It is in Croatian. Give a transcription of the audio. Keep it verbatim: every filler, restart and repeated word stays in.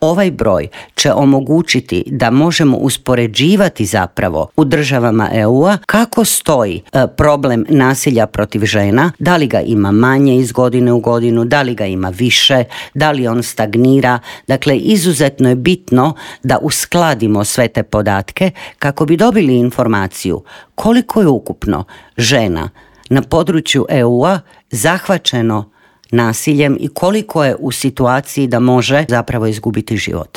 Ovaj broj će omogućiti da možemo uspoređivati zapravo u državama E U-a kako stoji e, problem nasilja protiv žena, da li ga ima manje iz godine u godinu, da li ga ima više, da li on stagnira. Dakle, izuzetno je bitno da uskladimo sve te podatke kako bi dobili informaciju koliko je ukupno žena na području E U-a zahvaćeno nasiljem i koliko je u situaciji da može zapravo izgubiti život.